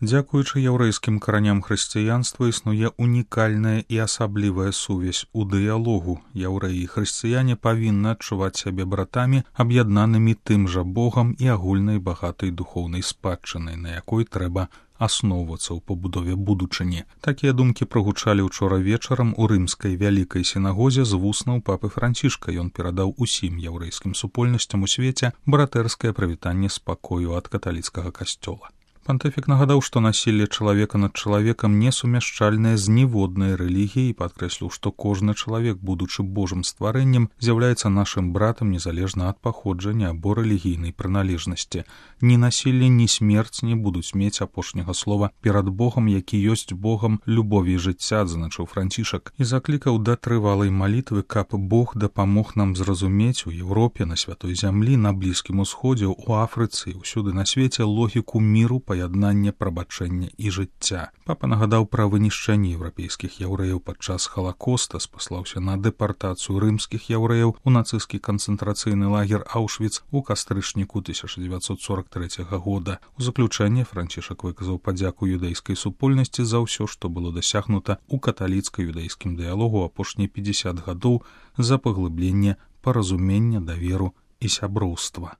Дзякуючы яўрэйскім караням хрысціянства існуе унікальная і асаблівая сувязь у дыялогу. Яўрэі і хрысціяне павінны адчуваць сябе братамі, аб'яднанымі тым жа Богам і агульнай багатай духоўнай спадчынай, на якой трэба асноўвацца ў пабудове будучыні. Такія думкі прагучалі ўчора вечарам у рымскай вялікай сінагозе з вуснаў папы Францішка. Ён перадаў усім яўрэйскім супольнасцям у свеце братэрскае прывітанне спакою ад каталіцкага касцёла. Пантыфік нагадаў, што насілле чалавека над чалавекам несумяшчальнае з ніводнай рэлігіяй і падкрэсліў, што кожны чалавек, будучы Божым стварэннем, з'яўляецца нашым братам незалежна ад паходжання або рэлігійнай прыналежнасці. Ні насілле, ні смерць не будуць мець апошняга слова перад Богам, які ёсць Богам любові і жыцця, адзначыў Францішак, і заклікаў да трывалай малітвы, каб Бог дапамог нам зразумець у Еўропе, на святой зямлі, на Блізкім Усходзе, у Афрыцы і ўсюды на свеце логіку міру, паяднання, прабачэння і жыцця. Папа нагадаў пра вынішчэнне еўрапейскіх яўрэяў падчас Халакоста, спаслаўся на дэпартацыю рымскіх яўрэяў у нацысцкі канцэнтрацыйны лагер Аўшвіц у кастрычніку 1943 года. У заключэнне Францішак выказаў падзяку юдэйскай супольнасці за ўсё, што было дасягнута ў каталіцка-юдэйскім дыялогу апошнія 50 гадоў за паглыбленне паразумення, даверу і сяброўства.